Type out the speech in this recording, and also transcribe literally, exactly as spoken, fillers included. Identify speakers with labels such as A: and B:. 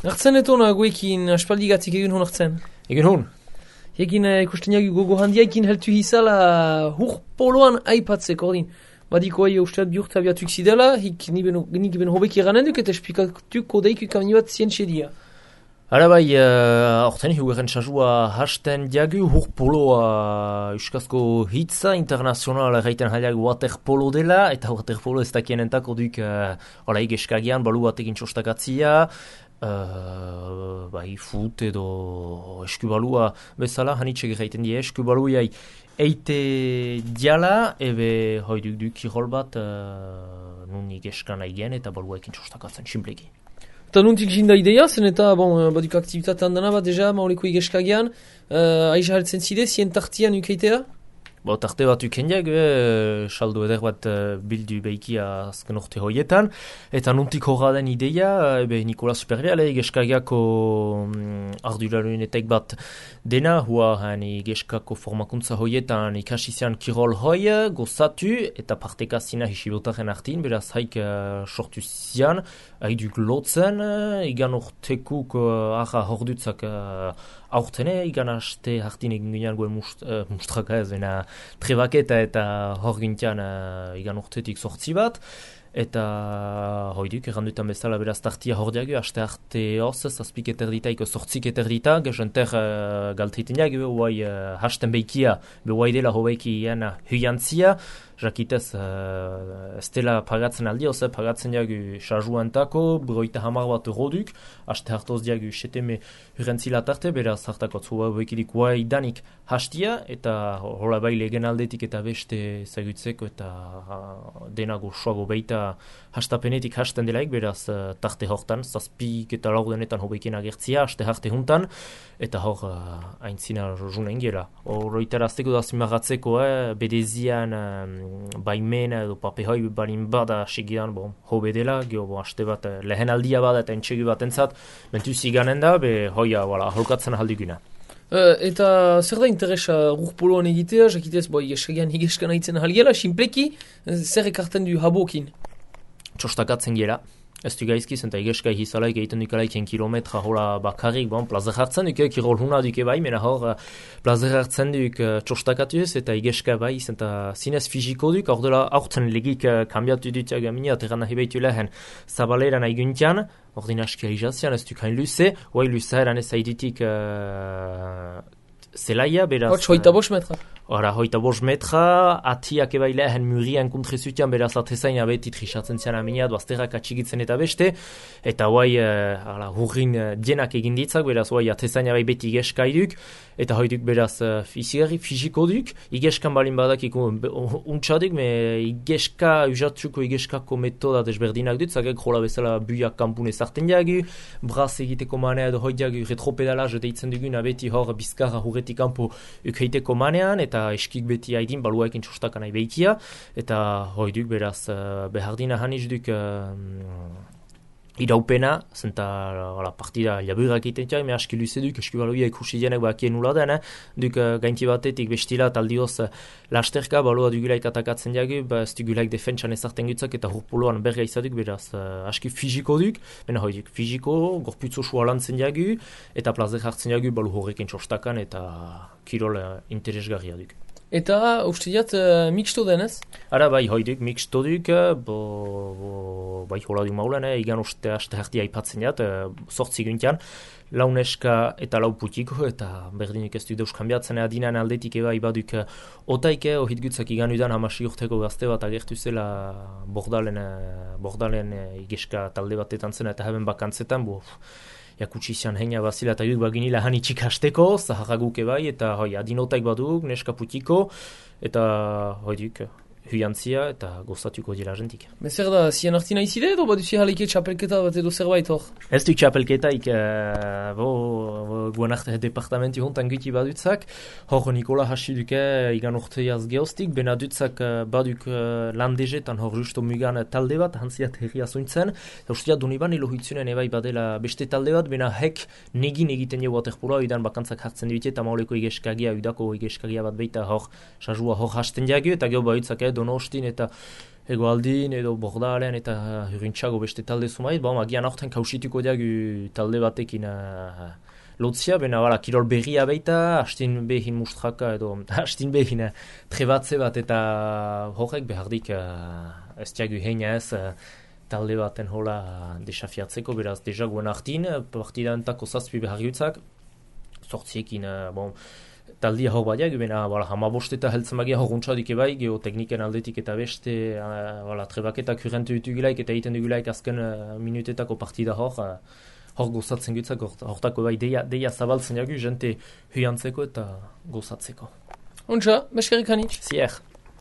A: Hartzen etona guekin aspaldigatzik egin hon hartzen.
B: Egin hon?
A: Egin uh, ikusten jagi gogo handiaikin heltu hizala hur poloan aipatzeko ordin. Badiko ahi usteat bihurta biatuk zidela, hik nik ben hobek iranen duk eta esplikatuko daik kamini bat zientxe dia.
B: Ara bai, horten uh, hugaren txasua hasten diagu hur poloa euskazko hitza internazional erraiten haliak waterpolo dela, eta waterpolo ez dakienentako duk uh, hola egeskagian balu batekin txostakatzia, uh, bai fut edo eskubalua bezala, hanitxek erraiten die eskubaluiai eite diala, ebe hoi duk duk kirol bat uh, nun egeskan aigen eta baluaekin txostakatzen, simpleki.
A: Eta nuntik jinda ideia, zen eta, bon, baduk aktivitatean dana bat, deja, mauleko igeskagian, uh, aiza hartzen zide, zien tartian ukeitea?
B: Bo, tarte bat ukendiak, e, saldo eder bat uh, bildu behikia azken orte hoietan, eta nuntik horra den ideia, ebe Nikola Superreale, igeskagiako um, ardurarunetek bat dena, hua han igeskako formakuntza hoietan ikasi zian kirol hoi, gozatu, eta parteka zina hisibotaren artin, beraz haik uh, sortu zian, haiduk lotzen, uh, igan ortekuk uh, arra hordutzak uh, aurtene, igan haste hartin egin ginean goen must, uh, mustraka ez, bena trebaketa eta hor gintian uh, igan urtetik sortzi bat, eta hoiduk errandutan bezala beraz tartia hor diagu, haste arte hoz, zazpik eterditaiko sortzik eterdita, gezenter uh, galteiten diagu, huai uh, hasten behikia, behuai dela hobeiki iana huiantzia, jakitez uh, ez dela pagatzen aldi, oze pagatzen diagu sarjuantako, broita hamar bat eroduk, haste hartoz diagu seteme hurrentzila tarte, beraz hartako zua bekidik huai danik hastia, eta hola bai legen aldetik eta beste zagutzeko eta uh, denago soago beita hastapenetik hasten delaik, beraz uh, tarte hortan, zazpik eta laurdenetan hobekien agertzia, haste harte juntan, eta hor uh, aintzina junen gela. Hor iterazteko da zimagatzeko, eh, bedezian um, baimena edo papehoi balin bada segidan, bon, hobe dela, geho, bon, haste bat uh, lehen aldia bada eta entxegi bat entzat, mentu ziganen da, be hoia, voilà, holkatzen ahaldiguna.
A: Uh, eta zer da interesa rurpoloan egitea, jakitez, boi, eskagian higeskan haitzen ahalgela, simpleki, zer ekarten du habokin?
B: Txostakatzen gela. Ez du gaizkiz, eta igeskai hizalaik egiten dukalaik kilometra hola bakarrik, bon, plazer hartzen duk, kirol huna duke bai, mena hor plazer hartzen duk uh, txostakatuz, eta igeska bai, eta zinez fiziko duk, hor dela aurten legik uh, kambiatu dutia gamini, aterran nahi behitu lehen zabaleran aiguntian, hor din askia izazian, ez duk hain luze, oai luze eran ez haiditik uh, zelaia, beraz...
A: Hots, hoita bos metra.
B: Hora, hoita bos metra, atiak ebai lehen murian kontrezutian, beraz atezain abeti trisatzen zian aminia, duazterrak atxigitzen eta beste, eta hoai uh, hurrin uh, dienak egin ditzak, beraz hoai atezain abai beti igeskaiduk, eta hoiduk beraz uh, izigarri fiziko duk, igeskan balin badak untxadik, me igeska, usatzuko igeskako metoda desberdinak dut, zagek rola bezala buiak kampun ezarten diagu, braz egiteko manea edo hoidiagu retropedalaz deitzen dugun, abeti hor bizkarra hurretik kanpo ukeiteko manean, eta eskik beti haidin baluaekin txostakan nahi behikia, eta hoiduk beraz uh, behardina haniz duk uh, iraupena, zenta uh, partida laburak egiten txai, me aski luze duk, esku baluia ikusi dienek bakien nula den, eh? duk uh, gainti batetik bestila taldioz uh, lasterka, balua dugulaik atakatzen diagu, ba, ez dugulaik defentsan ezarten gutzak, eta hurpoloan berga izaduk, beraz uh, aski fiziko duk, bena hoiduk fiziko, gorputzo sua lantzen diagu, eta plazer hartzen diagu balu horrekin txostakan, eta kirol uh, interesgarria duk.
A: Eta uste diat uh, mixto denez?
B: Ara bai, hoiduk, mixto duk, bo, bo, bai hola du maulen, eh? igan uste haste hartia aipatzen diat, uh, sortzi guntian, lau neska eta lau putiko, eta berdinik ez duk deuskambiatzen adinan aldetik eba ibaduk uh, otaike, ohit gutzak igan udan hamasi urteko gazte bat agertu zela bordalen, uh, bordalen uh, igeska talde batetan zen, eta haben bakantzetan, bo, jakutsi zian heina bazila eta guk baginila hanitxik hasteko, zaharraguk ebai, eta hoi, adinotaik baduk, neska putiko, eta hoi duk, huiantzia eta gozatuko dira jentik.
A: Bezer da, zian artina izide edo baduzi haleike txapelketa bat edo zerbait hor?
B: Ez duk txapelketaik, uh, bo, bo guan arte departamenti hontan guti badutzak, hor Nikola hasi duke igan urteiaz geostik, bena dutzak uh, baduk uh, landezetan hor justo mugan talde bat, hantziat herria zointzen, eta usteat duniban elohitzunen ebai badela beste talde bat, bena hek negin egiten jo waterpoloa, idan bakantzak hartzen dute, eta mauleko igeskagia, udako igeskagia bat beita hor, sajua hor hasten diagu, eta geho badutzak Donostin eta Egoaldin edo Bordalean eta Hurintxago beste talde zumait, bon, agian aurten kausituko diagu talde batekin uh, lotzia, bena bala, kirol berria baita, hastin behin mustraka edo hastin behin uh, trebatze bat eta horrek behardik uh, ez diagu heina ez uh, talde baten hola uh, desafiatzeko, beraz, deja guen hartin, partidantako zazpi behar jutzak, sortziekin, uh, bon, taldia hor badiak, bena hamabost eta heltzen bagia hor untxadik ebai, geotekniken aldetik eta beste, uh, trebaketa kurentu dutugulaik eta egiten dugulaik azken uh, minutetako partida hor, uh, hor gozatzen gutzak, hortako bai deia, deia zabaltzen jagu, jente huiantzeko eta gozatzeko.
A: Untxa, beskerik hanitz.
B: Zier.